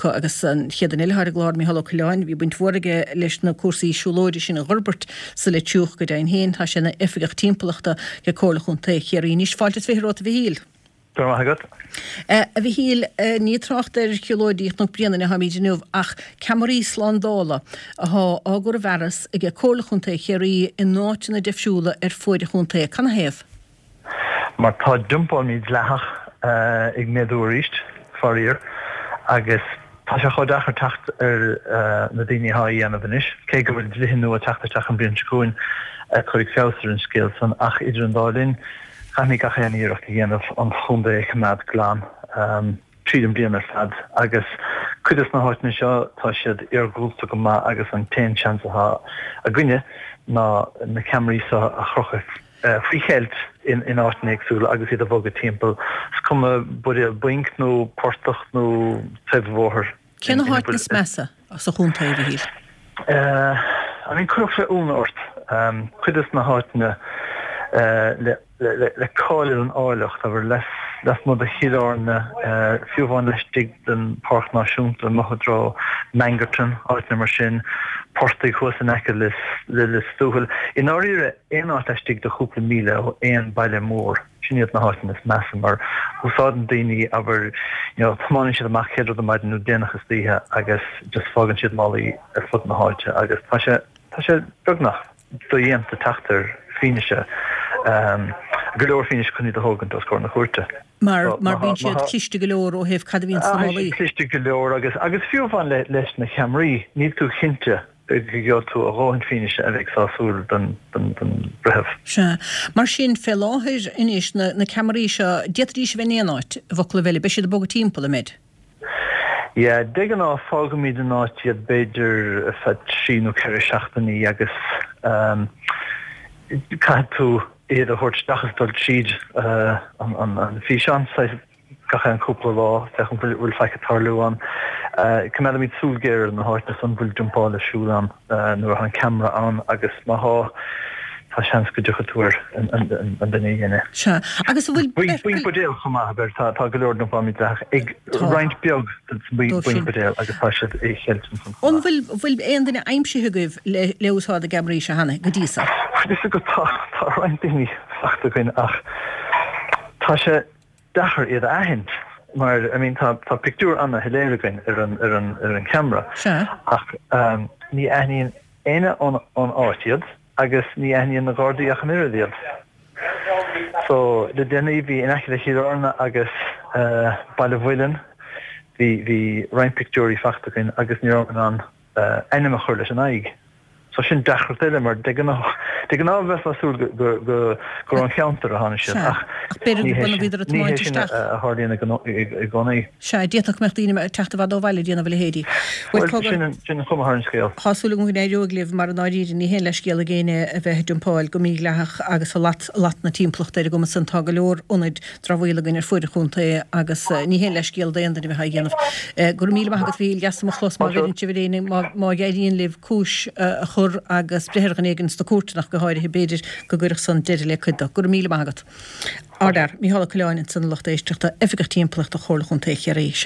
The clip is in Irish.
acu agus an chéad duine eile atá ar an gclár, Mícheál Ó Coileáin, bhí baint mhór aige leis na cúrsaí siúlóide sin a dh'fhorbairt sa Leitir Ceanainn go deimhin féin tá sé ina oifigeach timpeallachta ag Comhairle Chontae Chiarraí. Anois fáilte is 20 romhat a Mhichíl. Go raibh maith agat. A Mhichíl, ní ag trácht ar shiúlóidí Chnoc Bréanainn atáimid inniu ach ceamaraí slándála athá á gcur i bhfearas ag Comhairle Chontae Chiarraí in áiteanna difriúla ar fuaid an chontae. Canathaobh? Mar tá dumpáil mídhleathach ag méadú arís, faraor, agus tá sé chomh deacair teacht ar na daoine atá á dhéanamh anois, cé go bhfuil dlíthe nua ag teacht isteach an bhliain seo chugainn a chuirfidh feabhas ar an scéal san, ach idir an dá linn, caithfimid gach aon iarracht a dhéanamh an chontae a choimeád glan tríd an bhliain ar fad agus cuid des na háiteanna seo tá siad iargúlta go maith agus an t-aon seans atá againne ná na ceamaraí seo a chrochadh faoi cheilt in áiteanna éagsúla agus iad a bhogadh timpeall, is cuma buidéal bainc nó portach nó taobh an bhóthair. Cé na háiteanna is measa sa chontae, a Mhichíl? I mean, cuirfeadh sé ionadh ort cuid des na háiteanna le cáil ar an áilleacht, abair, lasmuigh de Chill Airne, fiú amháin laistigh den Pháirc Náisiúnta, amuigh i dtreo Mangerton, áiteanna mar sin, portaigh thuas in aice le Lios Tuathail. I ndáiríre, aon áit laistigh de chúpla míle ó aon baile mór, sin iad na háiteanna is measa mar úsáideann daoine, abair, you know, tiomáineann siad amach chéad rud ar maidin nó déanach istoíche agus just fágann siad málaí ar fud na háite agus tá sé, tá sé beagnach dodhéanta teacht ar fianaise, go leor fianaise chun iad a thógaint os comhair na cúirte. Mar, mar bíonn siad cliste go leor ó thaobh cad a bhíonn sna málaí. Cliste go leor agus, agus fiú amháin le, leis na ceamaraí, níl tú cinnte go gheobhaidh tú a dhóthain fianaise a bheidh sásúil don bhreitheamh. Sea. Mar sin, fé láthair anois, na, na ceamaraí seo, d'fhéadfaidís a bheith in aon áit, i bhfoclaibh eile, beidh siad ag bogadh timpeall, an mbeid? Yeah, de ghnáth fágaimid in áit iad b'fhéidir ar feadh 3 nó 4 seachtainí agus caithfidh tú iad a thabhairt isteach is dul tríd an físeán, saghas gach aon cúpla lá féachaint an bhfuil faic ag tarlú ann. Coimeádaimid súil ghéar ar na háiteanna san bhfuil dumpáil ar siúl ann nuair atá an ceamara ann agus má thá, tá seans go dtiocfaidh tú ar an duine a dhein é. Sea. Agus an bhfuil. Bainc buidéal chomh maith, abair, tá go leor dumpáil mídhleathach ag roinnt beag de bainc buidéal agus tá siad i cheilt ansan chomh maith. An bhfuil, bhfuil aon duine aimsithe agaibh le, le úsáid na gceamaraí seo cheana, go dtí so? Bhuel, is ag tá, tá roinnt daoine fachta againn ach tá sé deacair iad a aithint mar, I mean, tá, tá pictiúr ana-shoiléir againn ar an, ar an, ar an cheamara Sea. ach ní aithníonn éinne ón, ón áit iad agus ní aithníonn na Gardaí ach an oiread iad. So, le déanaí bhí in aice le Chill Airne agus Baile Mhuilinn, bhí, bhí roinnt pictiúirí fachta againn agus ní rabhamar in ann ainm a chur leis an aghaidh. So sin deacracht eile mar de ghnáth, de ghnáth bheifeá ag súil go, go, gur ón cheantar a tháinig siad Sea, ach ach b'fhéidir ní go hé b'ionadh sin, bhíodar ag ní hé tiomáint sin isteach. a tharlaíonn i gcónaí, i gcónaí. Sea, d'fhéadfadh go mbeadh daoine ag teacht i bhfad ó bhaile ag déanamh a leithéidí. Bhuel, Bhuel, cogar, sin an, sin an chuma ar an scéal. Tá súil agam go n-éireoidh libh mar i ndáiríre ní haon leithscéal ag éinne a bheith ag dumpáil go mídhleathach agus ag lat, lat na timpeallachta ar an gcuma san. Tá go leor ionaid dramhaíola againn ar fuaid an chontae agus ní haon leithscéal d'aon duine a bheith á dhéanamh. Go raibh míle maith agat Mhichíl, deas mo chlos má bheireann sibh ar éinne, má éiríonn libh cúis a chur agus breith ar dhuine éigin sna cúirteanna ach go háirithe, b'fhéidir go gcuirfeadh san deireadh le cuid de. Go raibh míle maith agat. Ardfhear, Mícheál Ó Coileáin ansan a lucht éisteachta, Oifigeach Timpeallachta Chomhairle Chontae Chiarraí. Sea.